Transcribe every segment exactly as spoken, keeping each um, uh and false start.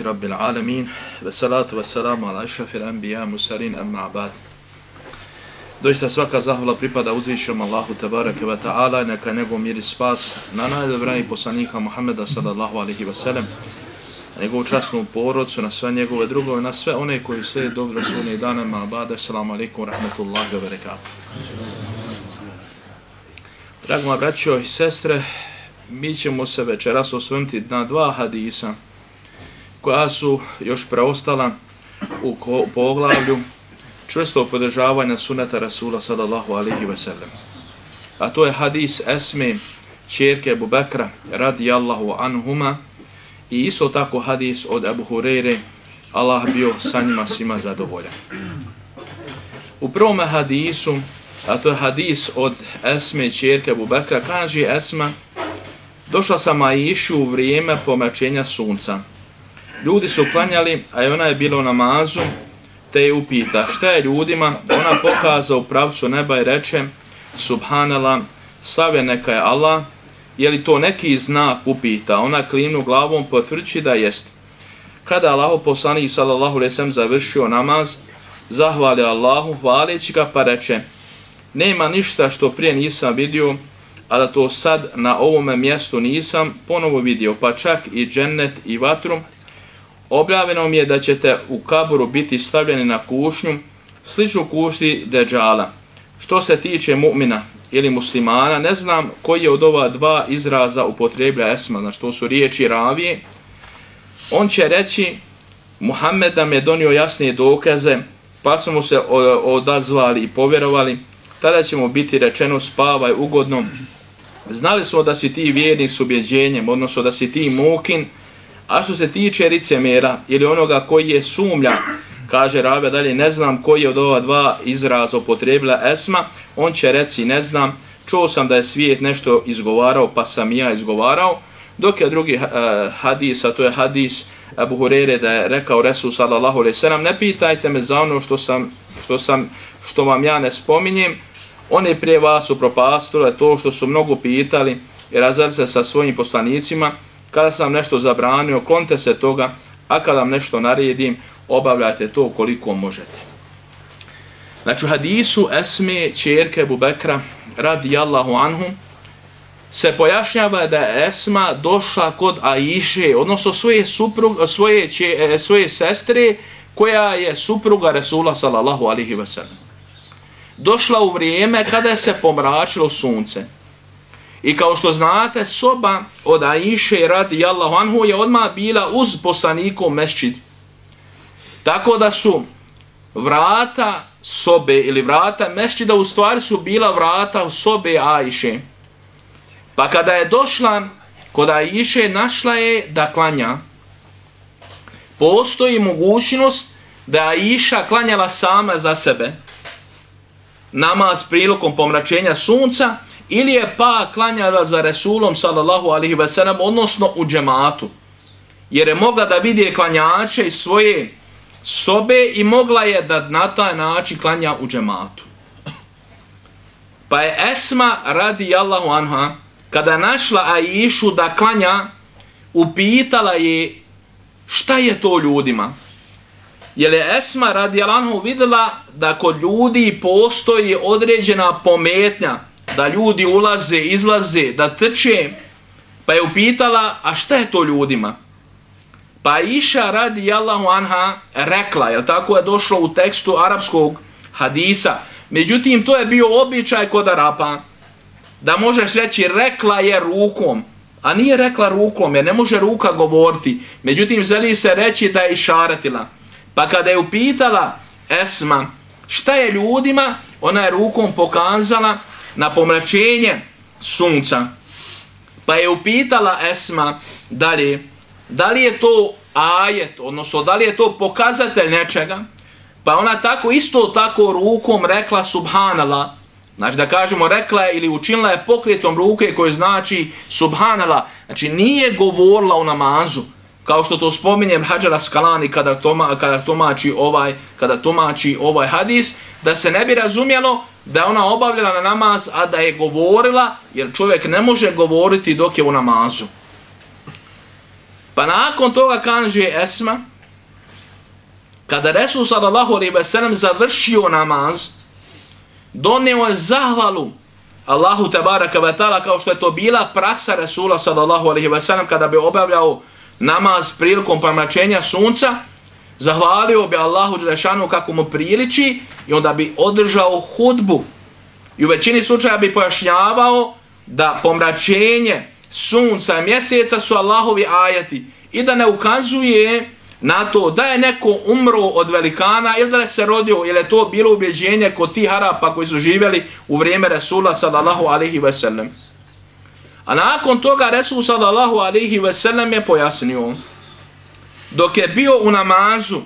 Rabbil alamin, ve salatu ve salamu ala ašrafil anbiya musarin amma ba'd. Doista svaka zahvala pripada uzvišenom Allahu tebareke ve ta'ala, neka njegov mir i spas na najdobranijeg poslanika Muhammeda sallallahu alaihi ve sellem, na njegovu časnu porodcu, na sve njegove drugove, na sve one koji slijede dobro sunne dana amma ba'd. Assalamu alaikum rahmetullahi wa barakatuh. Drago moja braćo i sestre, mi ćemo se večeras osvrnuti na dva hadisa koja su još preostala u poglavlju čvrstog podržavanja suneta Rasula sallallahu alaihi ve sellem. A to je hadis Esme, ćerke Ebu Bekra radijallahu anhuma, i isto tako hadis od Ebu Hureyre, Allah bio sa njima svima zadovoljan. U prvome hadisu, a to je hadis od Esme, ćerke Ebu Bekra, kaže Esma: došla sam Aiši u vrijeme pomračenja sunca. Ljudi su klanjali, a ona je bila u namazu, te je upita šta je ljudima. Ona pokaza u pravcu neba i reče: Subhanallah, slave neka je Allah. Je li to neki znak, upita. Ona klimnu glavom, potvrđujući da jest. Kada Allahov poslanik sallallahu alejhi ve sellem završio namaz, zahvalio Allahu hvaleći ga, pa reče: nema ništa što prije nisam vidio, a da to sad na ovome mjestu nisam ponovo vidio, pa čak i džennet i vatru. Objavljeno mi je da ćete u kaburu biti stavljeni na kušnju, sličnu kušnji Deđala. Što se tiče mu'mina ili muslimana, ne znam koji je od ova dva izraza upotreblja Esma, znači to su riječi ravije. On će reći: Muhammed nam je donio jasnije dokaze, pa smo mu se odazvali i povjerovali. Tada će mu biti rečeno: spavaj ugodno. Znali smo da si ti vjernik s ubjeđenjem, odnosno da si ti mukin. A što se tiče licemjera ili onoga koji je sumlja, kaže ravija dalje, ne znam koji je od ova dva izraza upotrebila Esma. On će reći: ne znam, čuo sam da je svijet nešto izgovarao, pa sam ja izgovarao. Dok je drugi uh, hadis, a to je hadis Ebu Hureyre, da je rekao Resul sallallahu alejhi ve sellem: ne pitajte me za ono što sam, što sam, što vam ja ne spominjem. One prije vas upropastile to što su mnogo pitali i razveli se sa svojim poslanicima. Kada sam nešto zabranio, klonite se toga, a kada vam nešto naredim, obavljajte to koliko možete. Znači, u hadisu Esme, ćerke Ebu Bekra radijallahu anhu, se pojašnjava da je Esma došla kod Aiše, odnosno svoje, suprug, svoje, če, svoje sestre, koja je supruga Resula sallallahu alaihi ve sellem. Došla u vrijeme kada je se pomračilo sunce. I kao što znate, soba od Aiše radijallahu anhu je odmah bila uz poslanikov mesdžid. Tako da su vrata sobe ili vrata mesdžida u stvari su bila vrata u sobe Aiše. Pa kada je došla kod Aiše, našla je da klanja. Postoji mogućnost da Aiša klanjala sama za sebe namaz prilikom pomračenja sunca, ili je pa klanjala za Resulom sallallahu alaihi ve sellem, odnosno u džematu. Jer je mogla da vidi klanjače iz svoje sobe i mogla je da na taj način klanja u džematu. Pa je Esma radijallahu anha, kada našla Aišu da klanja, upitala je šta je to ljudima. Jer je Esma radijallahu anha vidjela da kod ljudi postoji određena pometnja, da ljudi ulaze, izlaze, da trče, pa je upitala: a šta je to ljudima? Pa Aiša radijallahu anha rekla, jer tako je došlo u tekstu arapskog hadisa, međutim to je bio običaj kod Arapa, da možeš reći rekla je rukom, a nije rekla rukom, jer ne može ruka govoriti, međutim želi se reći da je išaretila. Pa kada je upitala Esma šta je ljudima, ona je rukom pokazala na pomračenje sunca. Pa je upitala Esma dalje, da li je to ajet, odnosno da li je to pokazatelj nečega, pa ona tako isto tako rukom rekla subhanallah, znači da kažemo rekla je ili učinila je pokretom ruke koje znači subhanallah, znači nije govorila u namazu, kao što to spominjem Hadžar Askalani kada, toma, kada, tumači ovaj, kada tumači ovaj hadis, da se ne bi razumjelo da je ona obavljala na namaz, a da je govorila, jer čovjek ne može govoriti dok je u namazu. Pa nakon toga kaže Esma, kada Resul sallallahu alejhi ve sellem završio namaz, donio je zahvalu Allahu tebaraka ve taala, kao što je to bila praksa Resula sallallahu alejhi ve sellem kada bi obavljao namaz prilikom pomračenja sunca, zahvalio bi Allahu dželešanu kako mu priliči i onda bi održao hudbu. I u većini slučaja bi pojašnjavao da pomračenje sunca i mjeseca su Allahovi ajeti i da ne ukazuje na to da je neko umro od velikana ili da je se rodio, ili je to bilo ubjeđenje kod tih Arapa koji su živjeli u vrijeme Resula sallallahu alejhi ve sellem. A nakon toga Resul sallallahu alejhi ve sellem je pojasnio, dok je bio u namazu,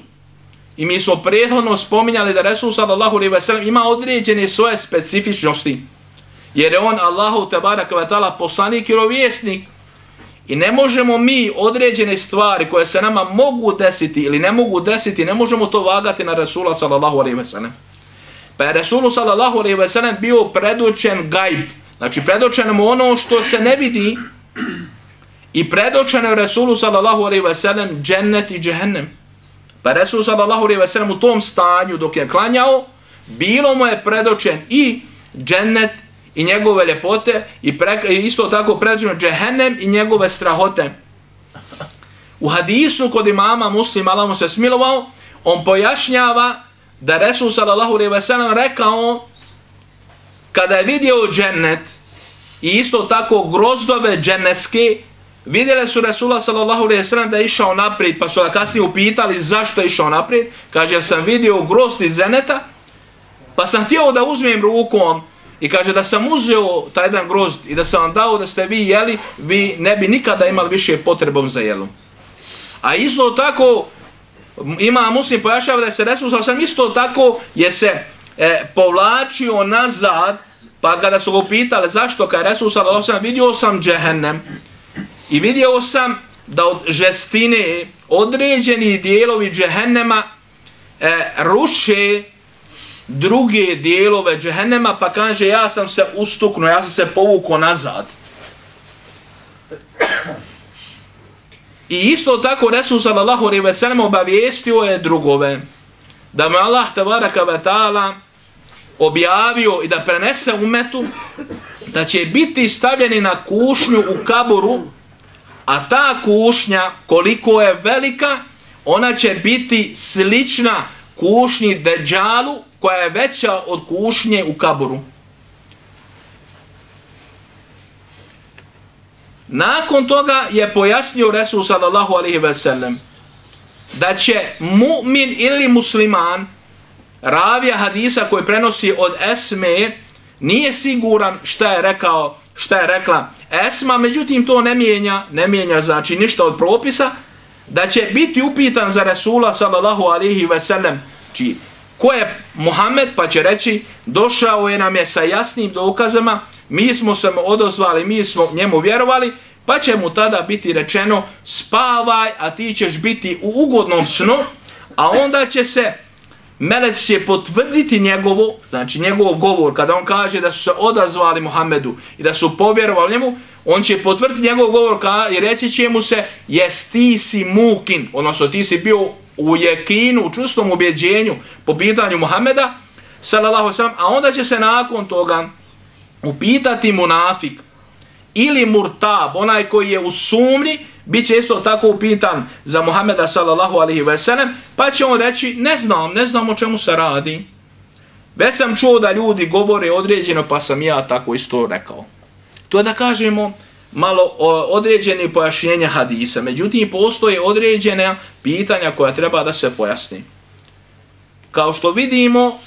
i mi smo prethodno spominjali da Resul sallallahu alejhi ve sellem ima određene svoje specifičnosti, jer je on Allahu tebaraka ve taala poslanik i vjerovjesnik, i ne možemo mi određene stvari koje se nama mogu desiti ili ne mogu desiti, ne možemo to vagati na Resula sallallahu alejhi ve sellem. Pa je Resulu sallallahu alejhi ve sellem bio predočen gajb, znači predočeno mu ono što se ne vidi, i predočeno je Resulu sallallahu alejhi ve sellem džennet i džehennem. Pa Resul sallallahu alejhi ve sellem u tom stanju dok je klanjao, bilo mu je predočen i džennet i njegove ljepote, i, pre, i isto tako predočeno džehennem i njegove strahote. U hadisu kod imama Muslima, Allah mu se smilovao, on pojašnjava da Resul sallallahu alejhi ve sellem rekao, kada je vidio džennet i isto tako grozdove džennetske, vidjeli su Resula sallallahu alejhi ve sellem da je išao naprijed, pa su ga kasnije upitali zašto je išao naprijed. Kaže, sam vidio grozd iz dženneta, pa sam htio da uzmem rukom, i kaže da sam uzeo taj jedan grozd i da sam vam dao da ste vi jeli, vi ne bi nikada imali više potrebom za jelom. A isto tako ima Muslim pojašnjava da je se Resul sallallahu alejhi ve sellem isto tako je se e, povlačio nazad, pa kada su ga upitali zašto, kada je Resul sallallahu alejhi ve sellem vidio sam džehennem i vidio sam da od žestine određeni dijelovi džehennema e, ruše druge dijelove džehennema, pa kaže ja sam se ustuknuo, ja sam se povukao nazad. I isto tako Resul sallallahu alejhi ve sellem obavijestio je drugove da mu Allah tebaraka ve taala objavio i da prenese umetu da će biti stavljeni na kušnju u kaburu, a ta kušnja koliko je velika, ona će biti slična kušnji Deđalu, koja je veća od kušnje u kaburu. Nakon toga je pojasnio Resul sallallahu alejhi ve sellem da će mu'min ili musliman, ravija hadisa koji prenosi od Esme, nije siguran šta je rekao, šta je rekla Esma, međutim to ne mijenja, ne mijenja znači ništa od propisa, da će biti upitan za Resula sallallahu alejhi ve sellem, či ko je Muhammed, pa će reći došao je nam je sa jasnim dokazama, mi smo se mu odozvali, mi smo njemu vjerovali, pa će mu tada biti rečeno spavaj, a ti ćeš biti u ugodnom snu, a onda će se melec će potvrditi njegovo, znači njegov govor, kada on kaže da su se odazvali Muhammedu i da su povjerovali njemu, on će potvrditi njegov govor i reći će mu se jes ti si mukin, odnosno ti si bio u jekinu, u čustom ubjeđenju po pitanju Muhammeda sallallahu alejhi ve sellem, a onda će se nakon toga upitati munafik ili murtab, onaj koji je u sumnji, bit će isto tako upitan za Muhammeda sallallahu alejhi ve sellem, pa će on reći ne znam, ne znam o čemu se radi. Već sam čuo da ljudi govore određeno, pa sam ja tako isto rekao. To je da kažemo malo određene pojašnjenja hadisa, međutim postoje određene pitanja koja treba da se pojasni. Kao što vidimo,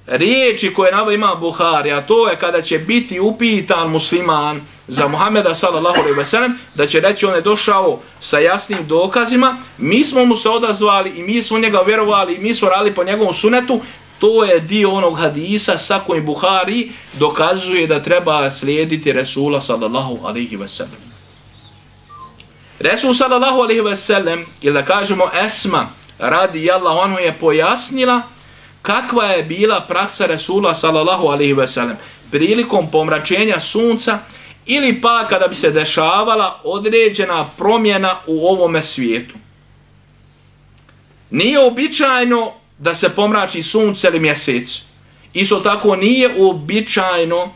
riječi koje navodi Imam Buhari, a to je kada će biti upitan musliman za Muhameda sallallahu alejhi ve sellem, da će reći on je došao sa jasnim dokazima, mi smo mu se odazvali i mi smo njega vjerovali i mi smo radili po njegovom sunetu. To je dio onog hadisa sa kojim Buhari dokazuje da treba slijediti Resula sallallahu alejhi ve sellem. Resul sallallahu alejhi ve sellem, ili da kažemo Esma radijallahu anhu, je pojasnila kakva je bila praksa Resula sallallahu alejhi ve sellem prilikom pomračenja sunca ili pa kada bi se dešavala određena promjena u ovome svijetu. Nije običajno da se pomrači sunce ili mjesec. Isto tako nije uobičajeno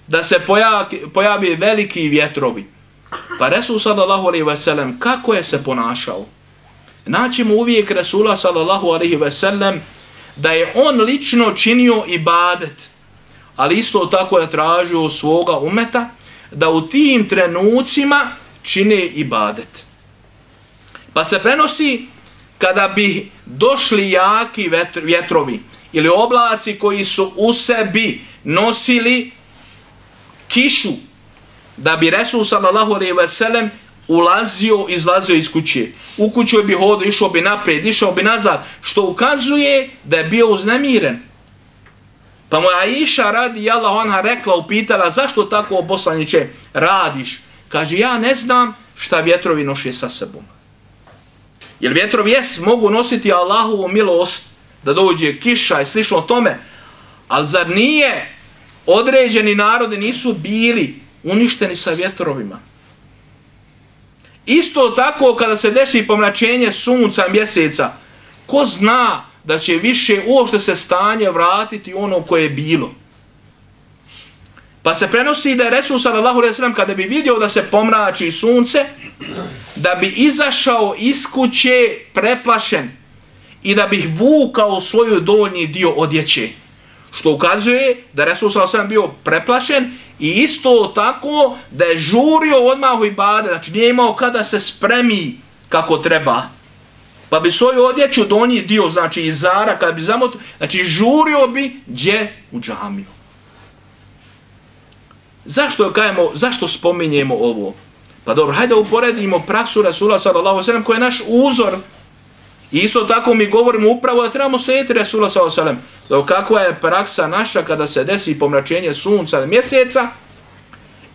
da se pojavi, pojavi veliki vjetrovi. Pa Resul sallallahu alejhi ve sellem kako je se ponašao? Naćemo uvijek Resula sallallahu alejhi ve sellem da je on lično činio ibadet, ali isto tako je tražio svoga umeta da u tim trenucima čine ibadet. Pa se prenosi kada bi došli jaki vjetrovi ili oblaci koji su u sebi nosili kišu, da bi Resul sallallahu alejhi ve sellem ulazio, izlazio iz kuće. U kuću bi hodio, išao bi naprijed, išao bi nazad, što ukazuje da je bio uznemiren. Pa mu Aisha radijallahu anha rekla, upitala, zašto tako, poslaniče, radiš? Kaže, ja ne znam šta vjetrovi noše sa sebom. Jer vjetrovi jes mogu nositi Allahovu milost, da dođe kiša i slično tome, ali zar nije određeni narodi nisu bili uništeni sa vjetrovima? Isto tako kada se desi pomračenje sunca mjeseca, ko zna da će više uopšte se stanje vratiti ono koje je bilo. Pa se prenosi da je Resul sallallahu alejhi ve sellem kada bi vidio da se pomrači sunce, da bi izašao iz kuće preplašen i da bi vukao svoju donji dio odjeće. Što ukazuje da Resul sallallahu alejhi ve sellem bio preplašen i isto tako da je žurio odmah u ibadet, znači nije imao kada se spremi kako treba. Pa bi svoju odjeću donji dio, znači izara, kada bi zamotio, znači žurio bi gdje u džamiju. Zašto kajemo, zašto spominjemo ovo? Pa dobro, hajde uporedimo praksu Resula sallallahu alejhi ve sellem koji je naš uzor. I isto tako mi govorimo upravo da trebamo slijediti Resula sallallahu alejhi ve sellem. Kakva je praksa naša kada se desi pomračenje sunca ili mjeseca,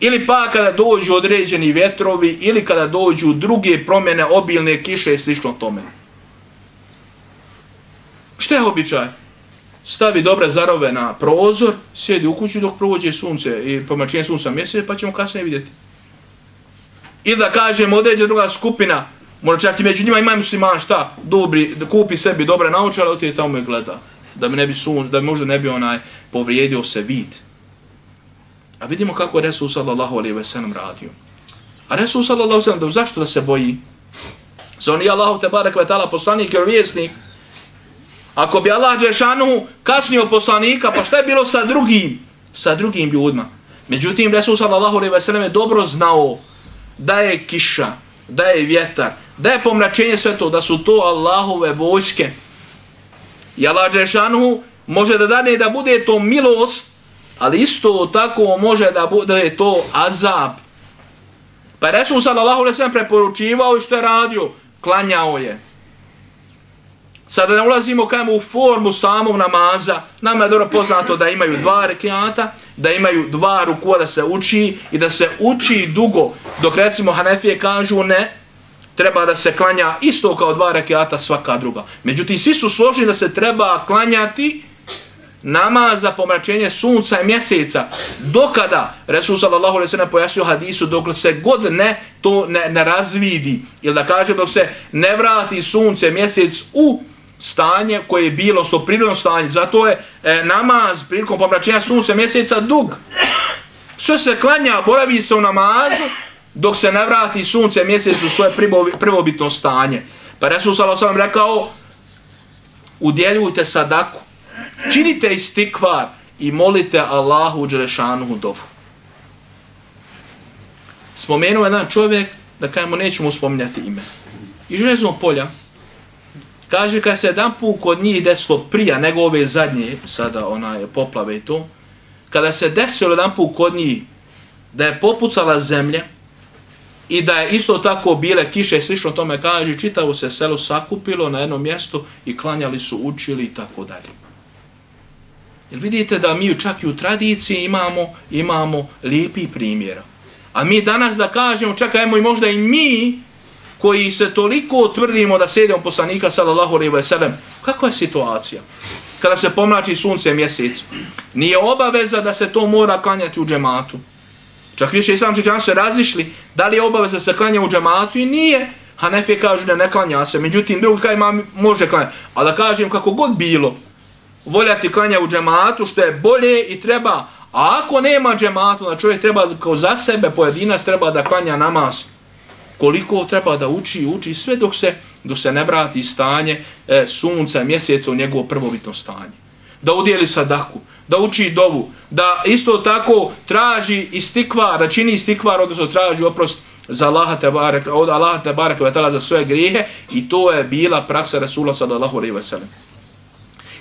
ili pa kada dođu određeni vjetrovi, ili kada dođu druge promjene, obilne kiše i slično tome. Šta je običaj? Stavi dobre zarove na prozor, sjedi u kući dok prođe sunce i pomračenje sunca mjeseca, pa ćemo kasnije vidjeti. Ili da kažemo određena druga skupina, možda čak i među njima imaju musliman, šta, dobri, da kupi sebi dobre naučale, ali ti tamo i gleda, da bi ne bi sun, da bi možda ne bi onaj povrijedio se vid. A vidimo kako je Resul sallallahu alejhi ve sellem radio. A Resul sallallahu alejhi ve sellem, zašto da se boji? Za on je Allahu te barek ve taala poslanik i vjesnik. Ako bi Allah dželešanu kasnio poslanika, pa šta je bilo sa drugim, sa drugim ljudima? Međutim, Resul sallallahu alejhi ve sellem je dobro znao da je kiša, da je vjetar, da je pomračenje, sve to, da su to Allahove vojske. I Allah dželešanu može da dane da bude to milost, ali isto tako može da bude to azab. Pa Resul sallallahu alejhi ve sellem preporučivao i što je radio, klanjao je. Sada ne ulazimo kajmo u formu samog namaza, nama je dobro poznato da imaju dva rekiata, da imaju dva rukua da se uči i da se uči dugo, dok recimo Hanefije kažu ne, treba da se klanja isto kao dva rekiata svaka druga. Međutim, svi su složni da se treba klanjati namaz za pomračenje sunca i mjeseca. Dokada, Resul sallallahu alejhi ve sellem pojasnio hadisu, dok se god ne to ne, ne razvidi, ili da kaže dok se ne vrati sunce, mjesec u stanje koje je bilo, što prirodno stanje. Zato je e, namaz prilikom pomračenja sunca mjeseca dug. Sve se klanja, boravi se u namazu, dok se ne vrati sunce mjesec u svoje prvobitno stanje. Pa Resul sallallahu alejhi ve sellem rekao, udjeljujte sadaku, činite istikvar i molite Allahu dželešanuhu dovu. Spomenuo jedan čovjek, da kajemo nećemo spominjati ime. Iz Železnog polja, Kaže, kad se jedan put kod njih desilo prija nego ove zadnje, sada onaj poplave i to, kada se desilo jedan put kod njih da je popucala zemlja i da je isto tako bile kiše, slično tome kaže, čitavo se selo sakupilo na jednom mjestu i klanjali su, učili i tako dalje. Jer vidite da mi čak i u tradiciji imamo, imamo lijepi primjera. A mi danas da kažemo, čekajmo i možda i mi, koji se toliko tvrdimo da sjedemo poslanika sallallahu alejhi ve sellem, kakva je situacija? Kada se pomrači sunce mjesec, nije obaveza da se to mora klanjati u džematu. Čak više islamski učenjaci se razišli da li je obaveza da se klanja u džematu i nije. Hanefije kažu da ne klanja se, međutim drugi kaj ima može klanjati. A da kažem kako god bilo, voljati klanja u džematu što je bolje i treba. A ako nema džematu, da čovjek treba kao za sebe pojedinac treba da klanja namaz. Koliko treba da uči, uči sve dok se, dok se ne vrati stanje e, sunca, mjeseca u njegovo prvobitno stanje. Da udjeli sadaku, da uči dovu, da isto tako traži istikvar, da čini istikvar, odnosno traži oprost za Allaha te barek, od Allaha te barek za svoje grijehe i to je bila praksa Rasula sallallahu alejhi ve sellem.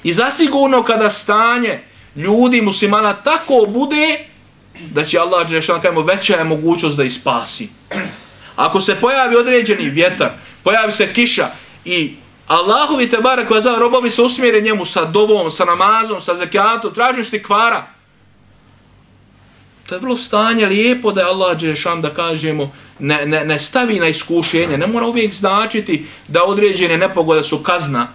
I zasigurno kada stanje ljudi muslimana tako bude da će Allah dželešan kajmo veća je mogućnost da ih spasi. Ako se pojavi određeni vjetar, pojavi se kiša i Allahovi te barek vatala robovi se usmjere njemu sa dovom, sa namazom, sa zekatom, tražim istikvara. To je vrlo stanje lijepo da je Allah dželešan da kažemo ne, ne, ne stavi na iskušenje. Ne mora uvijek značiti da određene nepogode su kazna.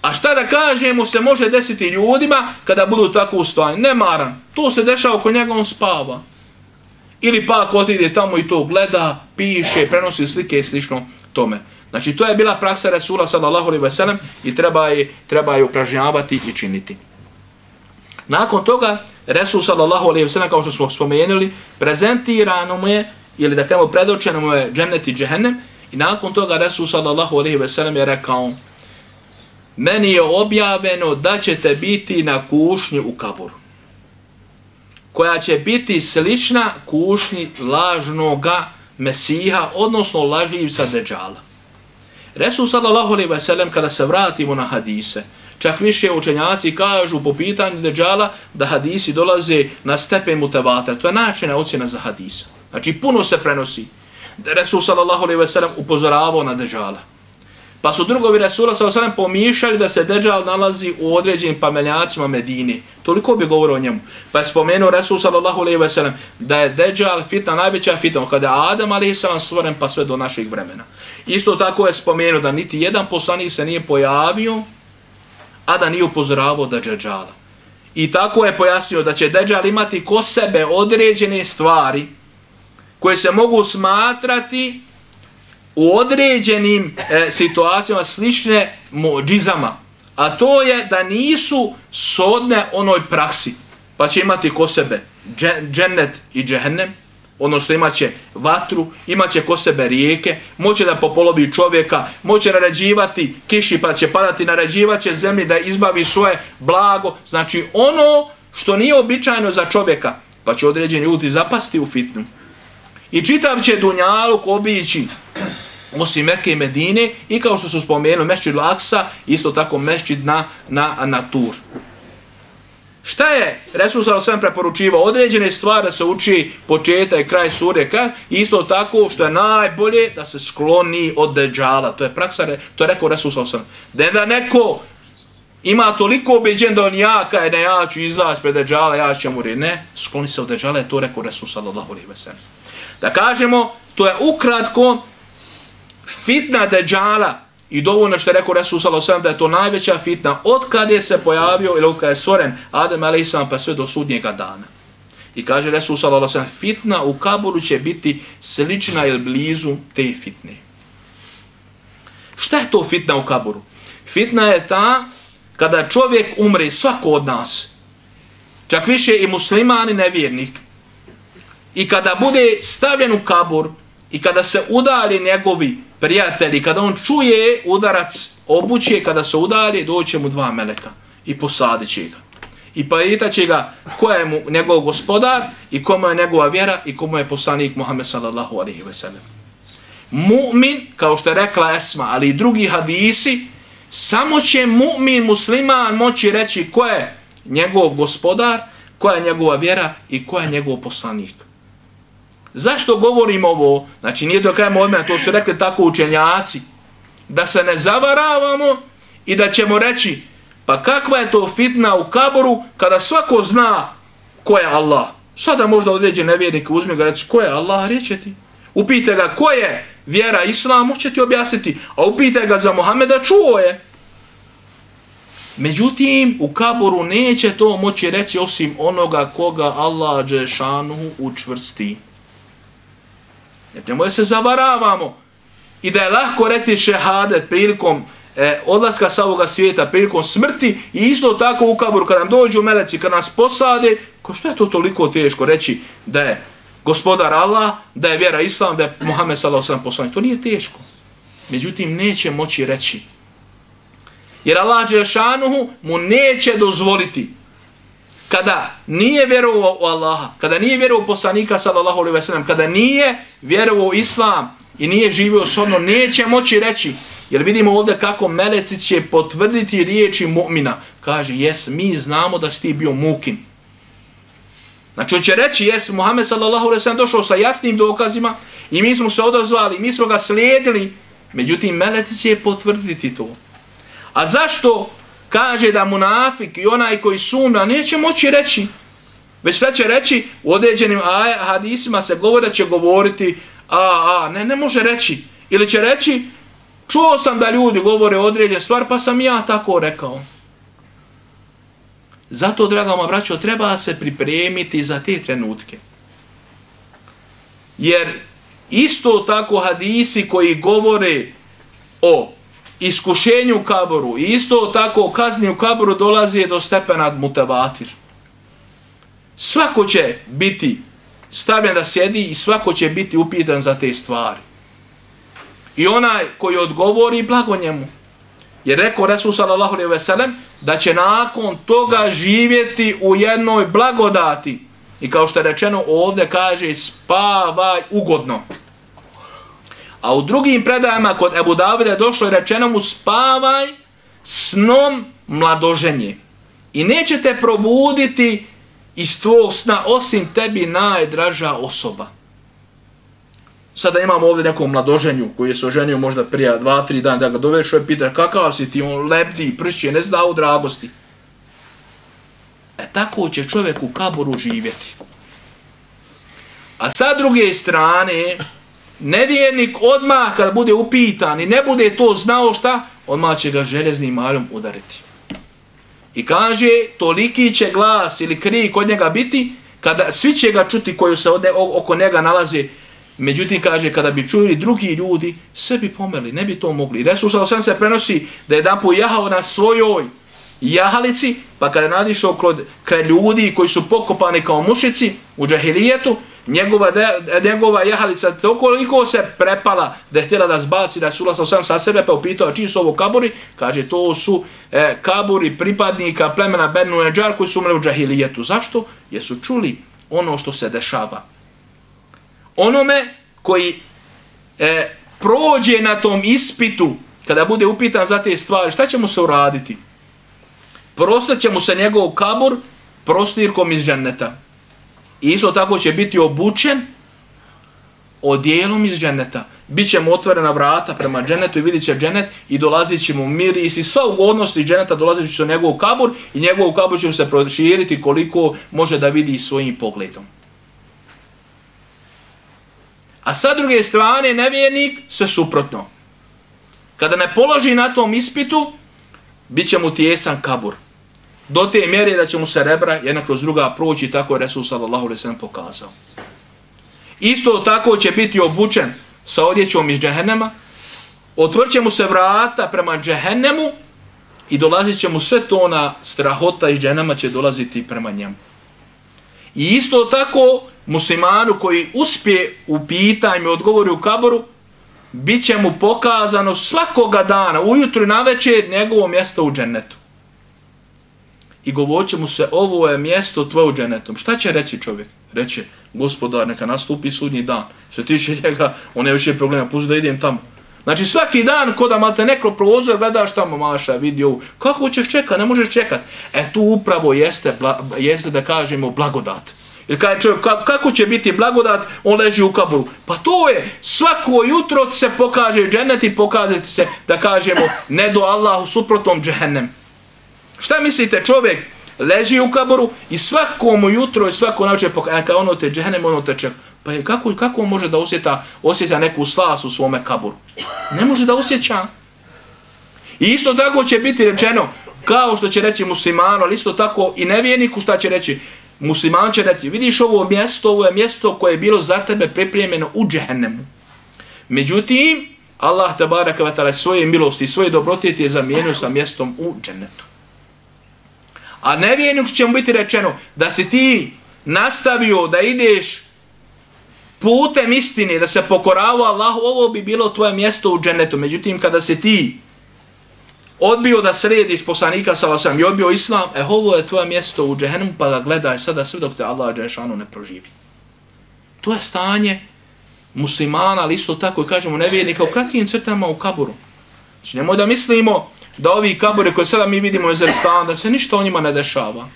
A šta da kažemo se može desiti ljudima kada budu tako u stanju? Nemaran. To se dešava oko njega, on spava. Ili pak otiđe tamo i to gleda, piše, prenosi slike i slično tome. Znači to je bila praksa Rasula sallallahu alejhi ve sellem i treba je, treba je upražnjavati i činiti. Nakon toga Rasul sallallahu alejhi ve sellem, kao što smo spomenuli, prezentirano mu je, ili da kažemo predočeno mu je džennet i džehennem, i nakon toga Rasul sallallahu alejhi ve sellem je rekao: meni je objavljeno da ćete biti na kušnji u kaburu, koja će biti slična kušnji lažnoga Mesiha, odnosno lažljivca Deđala. Resul sallallahu alejhi ve sellem, kada se vratimo na hadise, čak više učenjaci kažu po pitanju Deđala da hadisi dolaze na stepen mutevatir. To je načina ocjena za hadisa. Znači puno se prenosi. Resul sallallahu alejhi ve sellem upozoravao na Deđala. Pa su drugovi Resula sallallahu alejhi ve sellem pomišljali da se Deđal nalazi u određenim pameljacima Medine. Toliko bi govorio o njemu. Pa je spomenuo Resul sallallahu alejhi ve sellem da je Deđal fitna, najveća fitna, kada je Adam alejhi selam stvoren pa sve do naših vremena. Isto tako je spomenuo da niti jedan poslanik se nije pojavio, a da nije upozoravao da Deđala. I tako je pojasnio da će Deđal imati ko sebe određene stvari koje se mogu smatrati u određenim e, situacijama slične džizama. A to je da nisu sodne onoj praksi. Pa će imati ko sebe džennet i džehennem, odnosno imaće vatru, imaće ko sebe rijeke, moće da popolovi čovjeka, moće naređivati kiši pa će padati, naređivaće zemlji da izbavi svoje blago. Znači ono što nije običajno za čovjeka, pa će određeni ljudi zapasti u fitnu. I čitav će dunjaluk obići osim Mekke i Medine i kao što su spomenuli Mesdžid Al-Aksa, isto tako Mesdžid na, na, na Tur. Šta je Resul sallallahu alejhi ve sellem preporučivao? Određene stvari da se uči početak i kraj sure, isto tako što je najbolje da se skloni od Deđala. To je praksa, to je rekao Resul sallallahu alejhi ve sellem. Da neko ima toliko ubeđen da on jaka je, ne, ja ću izaći pred Deđala, ja ću mu reći, ne, skloni se od Deđala, je to rekao Resul sallallahu alejhi ve sellem. Da kažemo, to je ukratko fitna Deđala i dovoljno što je rekao Resul sallallahu alejhi ve sellem da je to najveća fitna od kada je se pojavio ili od kada je stvoren Adem alejhi selam pa sve do sudnjega dana. I kaže Resul sallallahu alejhi ve sellem, fitna u kaburu će biti slična ili blizu te fitne. Šta je to fitna u kaburu? Fitna je ta kada čovjek umre, svako od nas, čak više i musliman i nevjernik, i kada bude stavljen u kabur i kada se udali njegovi prijatelji, kada on čuje udarac obuće, kada se udali, doće mu dva meleka i posadit će ga. I pitat će ga ko je mu njegov gospodar i komu je njegova vjera i komu je poslanik Muhammed sallallahu alejhi ve sellem. mu'min, kao što je rekla Esma, ali i drugi hadisi, samo će mu'min, musliman moći reći ko je njegov gospodar, koja je njegova vjera i ko je njegov poslanik. Zašto govorim ovo? Znači nije da kajemo od mene, to su rekli tako učenjaci, da se ne zavaravamo i da ćemo reći pa kakva je to fitna u kaboru kada svako zna ko je Allah. Sada možda određen nevjernik uzme ga reći ko je Allah, reće ti. Upite ga ko je vjera Islam, će ti objasniti, a upite ga za Muhameda, čuo je. Međutim, u kaboru neće to moći reći osim onoga koga Allah dželešanuhu učvrsti. Nemoj se zavaravamo i da je lahko reći šehadet prilikom e, odlaska sa ovoga svijeta, prilikom smrti i isto tako u kaboru kada nam dođu meleci, kada nas posade, ko što je to toliko teško reći da je gospodar Allah, da je vjera Islam, da je Muhammed sallallahu alejhi ve sellem poslanik. To nije teško. Međutim, neće moći reći. Jer Allah dželešanuhu mu neće dozvoliti kada nije vjerovao u Allaha, kada nije vjerovao u poslanika sallallahu alejhi ve sellem, kada nije vjerovao u Islam i nije živio shodno, neće moći reći. Jer vidimo ovdje kako meleci će potvrditi riječi mu'mina. Kaže, jes, mi znamo da si ti bio mukin. Znači, on će reći, jes, Muhammed sallallahu alejhi ve sellem došao sa jasnim dokazima i mi smo se odazvali, mi smo ga slijedili. Međutim, meleci će potvrditi to. A zašto kaže da munafik i onaj koji sumnja neće moći reći? Već šta će reći? U određenim hadisima se govori da će govoriti a, a, ne, ne može reći. Ili će reći, čuo sam da ljudi govore određene stvari, pa sam ja tako rekao. Zato, draga moja braćo, treba se pripremiti za te trenutke. Jer isto tako hadisi koji govore o iskušenju u kaboru i isto tako o kazni u kaboru dolazi do stepena mutevatir. Svako će biti stavljen da sjedi i svako će biti upitan za te stvari. I onaj koji odgovori, blago njemu. Jer rekao Resul sallallahu alejhi ve sellem da će nakon toga živjeti u jednoj blagodati. I kao što je rečeno ovdje kaže spavaj ugodno. A u drugim predajama kod Ebu Davida je došlo i rečeno mu spavaj snom mladoženje. I neće te probuditi iz tvojeg sna osim tebi najdraža osoba. Sada imamo ovdje nekom mladoženju koji je se oženio možda prije dva, tri dana da ga dovešao i pita kakav si ti, on lebdi, pršće, ne zna u dragosti. E tako će čovjek u kaboru živjeti. A sa druge strane, nevjernik odmah kada bude upitan i ne bude to znao šta, odmah će ga željeznim maljom udariti. I kaže, toliki će glas ili krik kod njega biti, kada svi će ga čuti koji se oko njega nalaze. Međutim, kaže, kada bi čuli drugi ljudi, sve bi pomrli, ne bi to mogli. Resul sallallahu alejhi ve sellem se prenosi da je jedan put jahao na svojoj jahalici, pa kada je nadišao kod kraj ljudi koji su pokopani kao mušici u džahilijetu, njegova, de, njegova jahalica toliko se prepala da je htjela da zbaci da je Rasul sallallahu alejhi ve sellem sa sebe, pa upitao čiji su ovo kaburi, kaže to su e, kaburi pripadnika plemena Benu Nedžar koji su umrli u džahilijetu. Zašto? Jer su čuli ono što se dešava. Onome koji e, prođe na tom ispitu, kada bude upitan za te stvari, šta će mu se uraditi? Prostat će mu se njegov kabur prostirkom iz dženneta. I isto tako će biti obučen odjelom iz dženneta. Biće mu otvorena vrata prema džennetu i vidit će džennet i dolazit će mu miris i sva ugodnost iz dženneta dolazit će u njegov kabur i njegov kabur će mu se proširiti koliko može da vidi svojim pogledom. A sa druge strane, nevjernik, sve suprotno. Kada ne položi na tom ispitu, bit će mu tijesan kabur. Do te mjere da će mu se rebra jedna kroz druga proći, tako je Resul sallallahu alejhi ve sellem pokazao. Isto tako će biti obučen sa odjećom iz džehennema, otvrće mu se vrata prema džehennemu i dolazit će mu sve to ona strahota iz džehennema će dolaziti prema njemu. I isto tako muslimanu koji uspije u pitanju odgovori u kaboru, bit će mu pokazano svakoga dana, ujutru i navečer, njegovo mjesto u džennetu. i govorit će mu se ovo je mjesto tvoje u džennetom. Šta će reći čovjek? Reće, gospodar, neka nastupi sudnji dan. Što tiče njega, on je više problema, pusti da idem tamo. Znači svaki dan ko da malte neko prozor, gledaš tamo, maša, vidi ovu. Kako ćeš čekat? Ne možeš čekat. E tu upravo jeste, jeste da kažemo blagodat. Jer kada čovjek, kako će biti blagodat, on leži u kaburu. Pa to je, svako jutro se pokaže džennet i pokaže se, da kažemo, ne do Allahu suprotnom džehennem. Šta mislite, čovjek leži u kaburu i svakom jutro i svako navče pokaže, kada ono te džehennem, ono te čeka. Pa je, kako, kako on može da osjeta, osjeća neku slas u svome kaburu? Ne može da osjeća. I isto tako će biti rečeno, kao što će reći muslimanu, ali isto tako i nevjerniku šta će reći. Musliman će reći, vidiš ovo mjesto, ovo je mjesto koje je bilo za tebe pripremljeno u džehennemu. Međutim, Allah tebareke ve taala svoje milosti i svoje dobrotete je zamijenio sa mjestom u džennetu. A nevjerniku će mu biti rečeno da si ti nastavio da ideš putem istine, da se pokoravao Allahu, ovo bi bilo tvoje mjesto u džennetu. Međutim, kada se ti odbio da središ poslanika sallallahu alejhi ve sellem i odbio islam, e ovo je tvoje mjesto u džehennemu, pa ga gledaj sada sve dok te Allah dželešanu ne proživi. To je stanje muslimana, ali isto tako i kažemo nevjernika u kratkim crtama u kaburu. Znači nemoj da mislimo da ovi kabure koje sada mi vidimo iz Erzstana, da se ništa o njima ne dešava.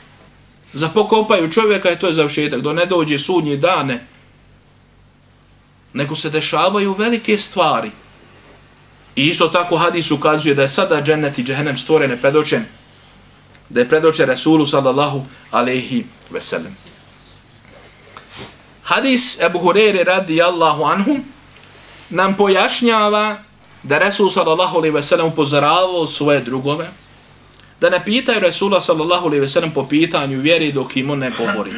Zapokopaju čovjeka i to je završetak, do ne dođe sudnji dane, nego se dešavaju velike stvari. I isto tako hadis ukazuje da je sada džennet i džehennem stvoren, predočen, da je predočen Resulu sallallahu alejhi ve sellem. Hadis Ebu Hureyre radijallahu anhu nam pojašnjava da Resul sallallahu alejhi ve sellem upozoravao svoje drugove da ne pitaju Resula sallallahu alejhi ve sellem po pitanju vjeri dok im on ne govori.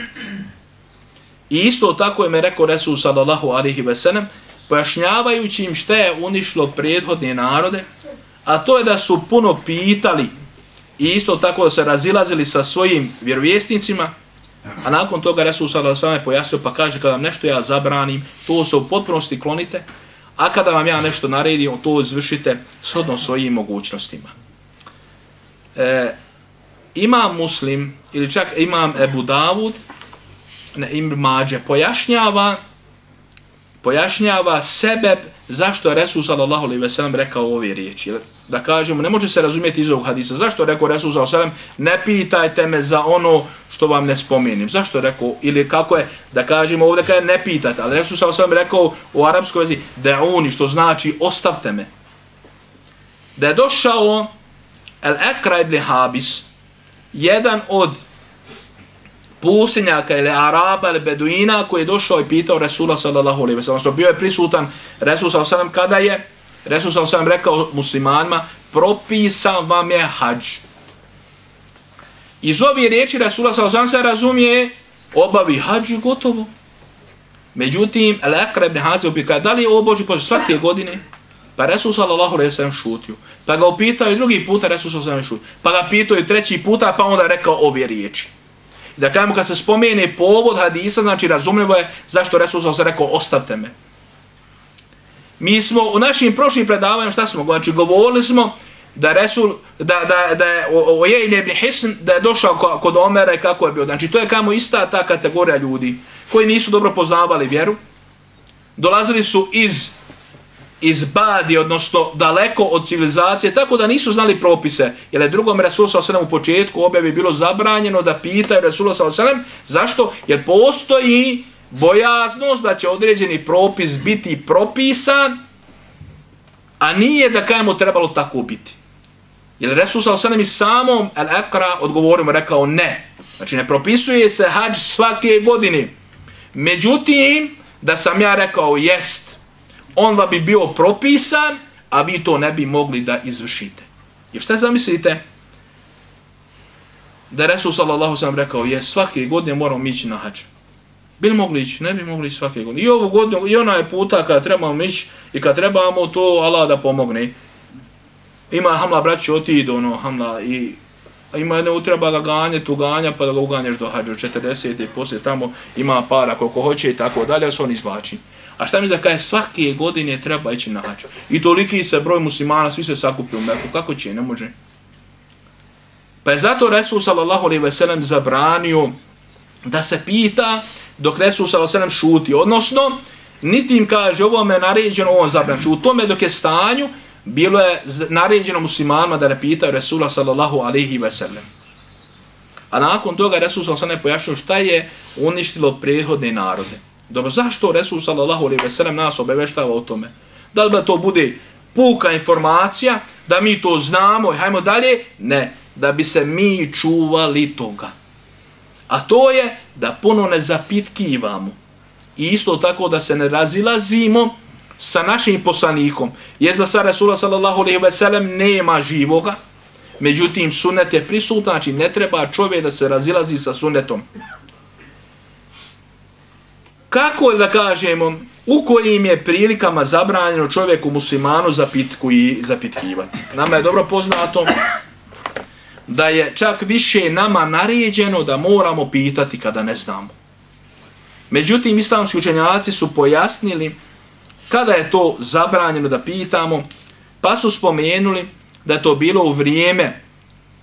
I isto tako je me rekao Resul sallallahu alejhi ve sellem pojašnjavajući im šta je unišlo prethodne narode, a to je da su puno pitali i isto tako da se razilazili sa svojim vjerovjesnicima, a nakon toga Resul sallallahu alejhi ve sellem pojasnio pa kaže kada vam nešto ja zabranim, to se u potpunosti klonite, a kada vam ja nešto naredim, to izvršite shodno svojim mogućnostima. E, imam Muslim, ili čak imam Ebu Davud, ne, Ibn Mađe, pojašnjava pojašnjava sebeb zašto je Resul sallallahu alejhi ve sellem rekao ove riječi. Da kažemo, ne može se razumjeti iz ovog hadisa. Zašto je rekao Resul sallallahu alejhi ve sellem, ne pitajte me za ono što vam ne spomenim. Zašto je rekao, ili kako je, da kažemo ovdje kada ne pitate, ali Resul sallallahu alejhi ve sellem rekao u arapskoj vezi, da'uni, što znači ostavte me. Da je došao Al-Akra ibn Habis, jedan od pustinjaka ili Araba ili Beduina koji je došao i pitao Resula sallallahu alejhi ve sellem. Bio je prisutan Resul sallallahu alejhi ve sellem kada je Resul sallallahu alejhi ve sellem rekao muslimanima, propisan vam je hadž. Iz ovih riječi Resula sallallahu alejhi ve sellem se razumije, obavi hadž i gotovo. Međutim, Al-Akra ibn Habis upita, da li je ovo Božji poziv svake godine? Pa Resul sallallahu alejhi ve sellem šutio. Pa ga upitao i drugi puta, Resul sallallahu alejhi ve sellem šutio. Pa ga pitao i treći puta, pa onda rekao ove riječi. Da kažemo kad se spomene povod hadisa, znači razumljivo je zašto Resul sallallahu alejhi ve sellem rekao ostavte me. Mi smo u našim prošlim predavanjima šta smo, znači govorili smo da Resul da da da je Uyejne ibn Hisn da je došao kod Omera i kako je bio. Znači to je kamo ista ta kategorija ljudi koji nisu dobro poznavali vjeru. Dolazili su iz iz Badi, odnosno daleko od civilizacije, tako da nisu znali propise. Jer je drugom Resulu sallallahu alejhi ve sellem u početku objavi bilo zabranjeno da pitaju Resulu sallallahu alejhi ve sellem. Zašto? Jer postoji bojaznost da će određeni propis biti propisan, a nije da kajemo trebalo tako biti. Jer Resul sallallahu alejhi ve sellem i samom Al-Akra odgovorimo rekao ne. Znači ne propisuje se hadž svake godine. Međutim, da sam ja rekao jest, on va bi bio propisan, a vi to ne bi mogli da izvršite. I šta zamislite? Da Resul sallallahu alejhi ve sellem rekao, je svake godine moramo ići na hadž. Bili mogli ići? Ne bi mogli ići svake godine. I ovu godinu, i ona je puta kada trebamo ići, i kada trebamo to Allah da pomogne. Ima hamla braći otidu, ono, hamla, i ima jedne utreba ga ganje, tu ganja, pa da ga uganješ do hadža, četrdeset i poslije tamo ima para koliko hoće i tako dalje, se on izvlači. A šta mi da kaže, svake godine treba ići na hadž. I toliki se broj muslimana, svi se sakupi u Meku. Kako će? Ne može. Pa je zato Resul sallallahu alejhi ve sellem zabranio da se pita dok Resul sallallahu alejhi ve sellem šuti. Odnosno, niti im kaže ovo me naređeno, ovo zabranjeno. U tome dok je stanju, bilo je naređeno muslimanima da ne pitaju Resula sallallahu alejhi ve sellem. A nakon toga Resul sallallahu alejhi ve sellem pojašnjio šta je uništilo prethodne narode. Dobro, zašto Resul sallallahu alejhi ve sellem nas obaveštava o tome? Da li da to bude puka informacija, da mi to znamo i hajmo dalje? Ne, da bi se mi čuvali toga. A to je da puno ne zapitkivamo. I isto tako da se ne razilazimo sa našim poslanikom. Jer za sa Resula sallallahu alejhi ve sellem nema živoga, međutim sunnet je prisutan, znači ne treba čovjek da se razilazi sa sunnetom. Kako da kažemo, u kojim je prilikama zabranjeno čovjeku muslimanu zapitku i zapitkivati? Nama je dobro poznato da je čak više nama naređeno da moramo pitati kada ne znamo. Međutim, islamski učenjaci su pojasnili kada je to zabranjeno da pitamo, pa su spomenuli da je to bilo u vrijeme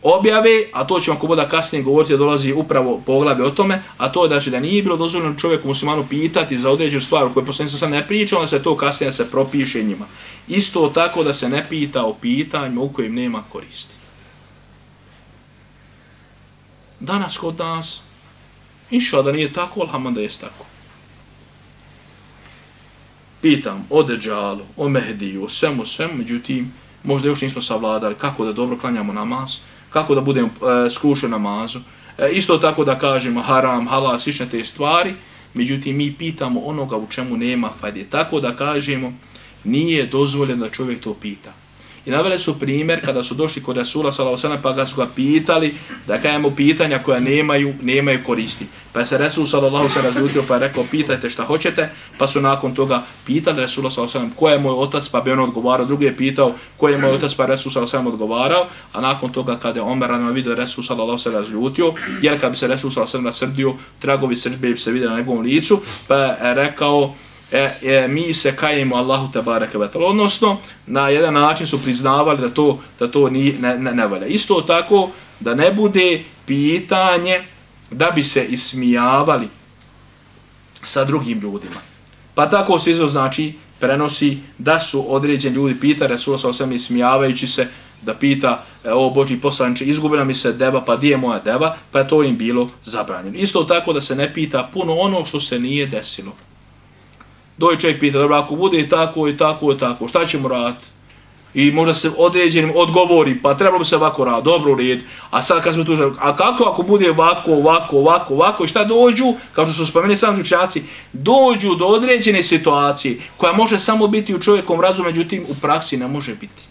objave, a to ćemo ako bude kasnije govoriti, da dolazi upravo poglavlje o tome, a to je znači da nije bilo dozvoljeno čovjeku muslimanu pitati za određenu stvar u kojoj poslanik sam ne pričao, da se to kasnije se propiše njima. Isto tako da se ne pita o pitanjima u kojim nema koristi. Danas kod nas, inša da nije tako, alhamdulillah da jest tako. Pitam o Deđalu, o Mehdiju, o svemu, svemu, međutim, možda još nismo savladali kako da dobro klanjamo namaz, kako da budemo e, skrušeni namazu, e, isto tako da kažemo haram, halal, slične te stvari, međutim, mi pitamo onoga u čemu nema fajde. Tako da kažemo, nije dozvoljeno da čovjek to pita. I naveli su primjer kada su došli kod Resula sallallahu alejhi ve sellem pa ga su ga pitali da kažemo pitanja koja nemaju nemaju koristi. Pa se Resul sallallahu alejhi ve sellem razljutio pa je rekao pitajte šta hoćete, pa su nakon toga pitali Resula sallallahu alejhi ve sellem ko je moj otac, pa bi on odgovarao, drugi je pitao ko je moj otac, pa Resul sallallahu alejhi ve sellem odgovarao, a nakon toga kada je Omer rano vidio Resul sallallahu alejhi ve sellem razljutio, jer kad bi se Resul sallallahu alejhi ve sellem nasrdio, tragovi srdbe bi se vidjeli na njegovom licu, pa je rekao E, e, mi se kajemo Allahu tebareke ve taala, odnosno na jedan način su priznavali da to da to ni ne, ne, ne valja. Isto tako da ne bude pitanje da bi se ismijavali sa drugim ljudima. Pa tako se izraz znači prenosi da su određeni ljudi pita Resula sallallahu alejhi ve sellem ismijavajući se da pita e, o Božji poslaniče, izgubila mi se deva, pa di je moja deva, pa je to im bilo zabranjeno. Isto tako da se ne pita puno ono što se nije desilo. Dođe čovjek pita, dobro, ako bude tako i tako i tako, šta ćemo raditi? I možda se određenim odgovori, pa trebalo bi se ovako raditi, dobro u redu. A sad kad smo tu želi, a kako ako bude ovako, ovako, ovako, ovako, i šta dođu, kao što su spomenuli sami učenjaci, dođu do određene situacije koja može samo biti u čovjekom razumu, međutim u praksi ne može biti.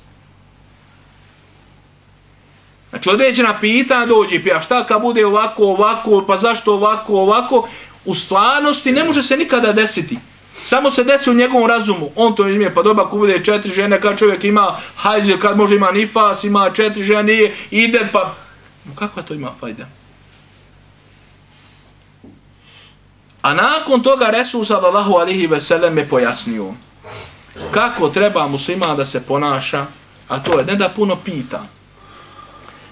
Znači određena pitanja dođe i pita, šta kad bude ovako, ovako, pa zašto ovako, ovako, u stvarnosti ne može se nikada desiti. Samo se desi u njegovom razumu, on to izmije, pa dobro, ako bude četiri žene, kad čovjek ima hajzir, kad može ima nifas, ima četiri žene, ide, pa... Kakva to ima fajda? A nakon toga Resul sallallahu alejhi ve sellem je pojasnio kako treba musliman da se ponaša, a to je ne da puno pita,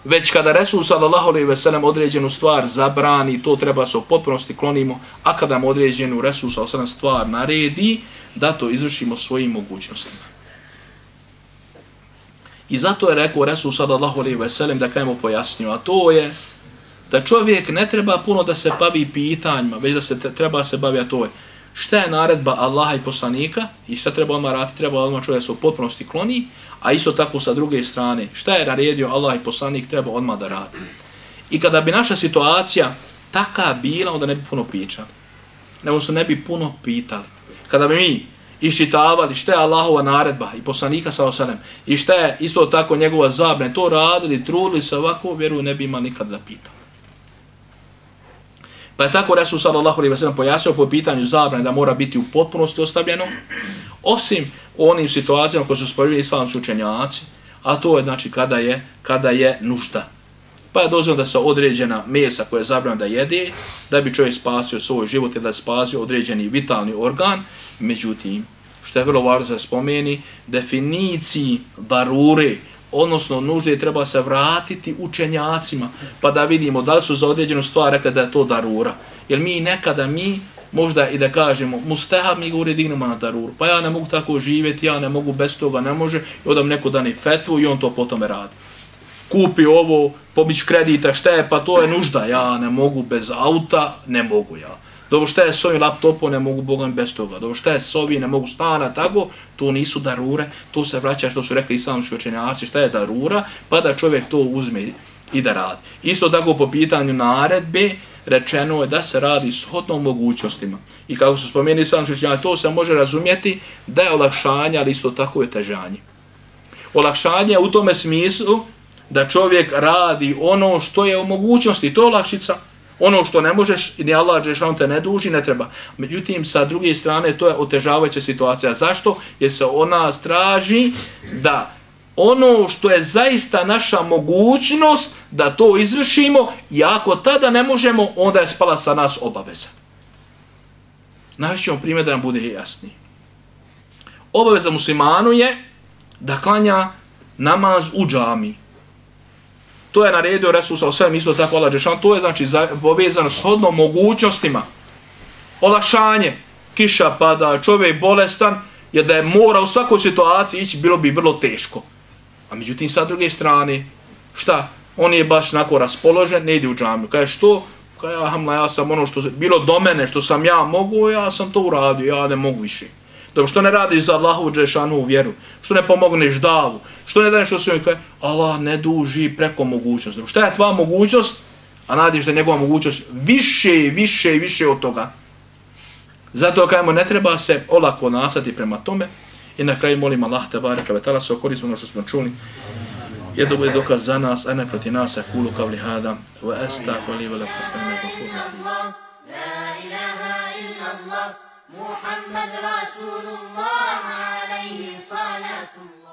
već kada Resul sallallahu alejhi ve sellem određenu stvar zabrani, to treba se u potpunosti klonimo, a kada mu određenu Resul sallallahu alejhi ve sellem stvar naredi, da to izvršimo svojim mogućnostima. I zato je rekao Resul sallallahu alejhi ve sellem da kajemo pojasnio, a to je da čovjek ne treba puno da se bavi pitanjima, već da se treba se bavi, a to je šta je naredba Allaha i poslanika i šta treba odmah raditi, treba odmah čovjek se u potpunosti kloni, a isto tako sa druge strane, šta je naredio Allah i poslanik, treba odmah da radi. I kada bi naša situacija taka bila, onda ne bi puno pričali. Nego se ne bi puno pitali. Kada bi mi iščitavali šta je Allahova naredba i poslanika sallallahu alejhi ve sellem i šta je isto tako njegova zabrana, to radili, trudili se ovako, vjeru ne bi imali nikad da pitali. Pa je tako Resul sallallahu alejhi ve sellem pojasnio po pitanju zabrane da mora biti u potpunosti ostavljeno, osim u onim situacijama koje su spomenuli islamski učenjaci, a to je znači kada je kada je nužda. Pa je dozvoljeno da se određena mesa koja je zabranjena da jede, da bi čovjek spasio svoj život i da spasio određeni vitalni organ, međutim, što je vrlo važno da se spomeni, definiciji darure odnosno nužde treba se vratiti učenjacima, pa da vidimo da li su za određenu stvar rekli da je to darura. Jer mi nekada mi, možda i da kažemo, mustahab mi govori dignemo na daruru, pa ja ne mogu tako živjeti, ja ne mogu bez toga, ne može, i odam neko dani fetvu i on to potome radi. Kupi ovo, pobić kredita, šta je, pa to je nužda, ja ne mogu bez auta, ne mogu ja. Dobro, šta je s ovim laptopom, ne mogu Bogam bez toga. Dobro, šta je s ovim, ne mogu stana, tako, to nisu darure, to se vraća što su rekli islamski učenjaci, šta je darura, pa da čovjek to uzme i da radi. Isto tako po pitanju naredbe, rečeno je da se radi shodno mogućnostima. I kako su spomenuli islamski učenjaci, to se može razumjeti da je olakšanje, ali isto tako je težanje. Olakšanje u tome smislu da čovjek radi ono što je u mogućnosti, to je olakšica. Ono što ne možeš i ni Allah dželešanu te ne duži, ne treba. Međutim, sa druge strane, to je otežavajuća situacija. Zašto? Jer se ona traži da ono što je zaista naša mogućnost da to izvršimo i ako tada ne možemo, onda je spala sa nas obaveza. Najvećemo primjer da nam bude jasniji. Obaveza muslimanu je da klanja namaz u džamiji. To je naredio Resul sa osvijem, isto tako Allah dželešanu. To je znači povezano s hodnom mogućnostima. Olakšanje, kiša pada, čovjek bolestan, jer da je mora u svakoj situaciji ići, bilo bi vrlo teško. A međutim, sa druge strane, šta? On je baš nako raspoložen, ne ide u džamiju. Kaže, što? Kaže, ja, ja sam ono što bilo do mene, što sam ja mogu, ja sam to uradio, ja ne mogu više. Dobro, što ne radiš za Allahu dželešanu vjeru? Što ne pomogneš davu? Što ne daješ osvijem? Kaže, Allah ne duži preko mogućnosti. Dobro, šta je tvoja mogućnost? A nadiš da je njegova mogućnost više, više i više od toga. Zato kajemo, ne treba se olako nasati prema tome. I na kraju molim Allah te bareka ve taala se okoristimo ono što smo čuli. Je da bude dokaz za nas, a ne protiv nas. Kulu kavli hada wa astaghfiru wa lakum. La ilaha illa Allah, Muhammad Rasulullah alayhi salatu.